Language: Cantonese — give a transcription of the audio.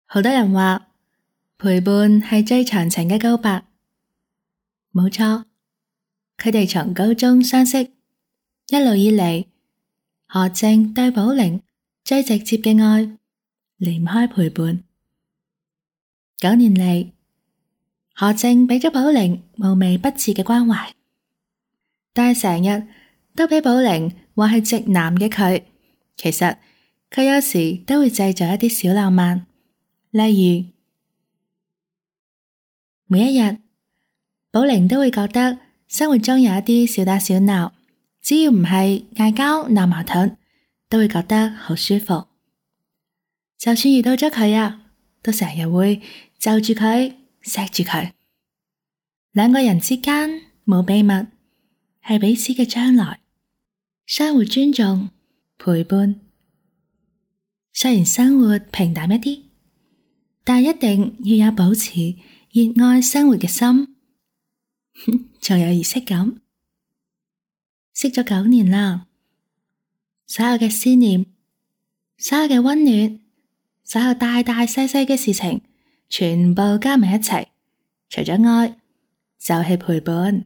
好多人話陪伴係最長情嘅告白，冇錯。佢哋從高中相識，一路以嚟，何靜對寶玲最直接嘅愛離唔開陪伴。9年嚟，何靜俾咗寶玲無微不至嘅關懷，但係成日都俾寶玲話係直男嘅佢，其實佢有時都會製造一啲小浪漫，例如每一日，寶玲都會覺得生活中有一啲小打小鬧，只要唔係嗌交鬧矛盾，都會覺得好舒服。就算遇到咗佢啊，都成日會就住佢錫住佢。兩個人之間冇秘密，係彼此嘅將來，相互尊重陪伴。雖然生活平淡一啲，但一定要有保持熱愛生活嘅心，仲有儀式感。識咗9年啦，所有嘅思念，所有嘅溫暖，所有大大細細嘅事情，全部加埋一齊，除咗愛，就係陪伴。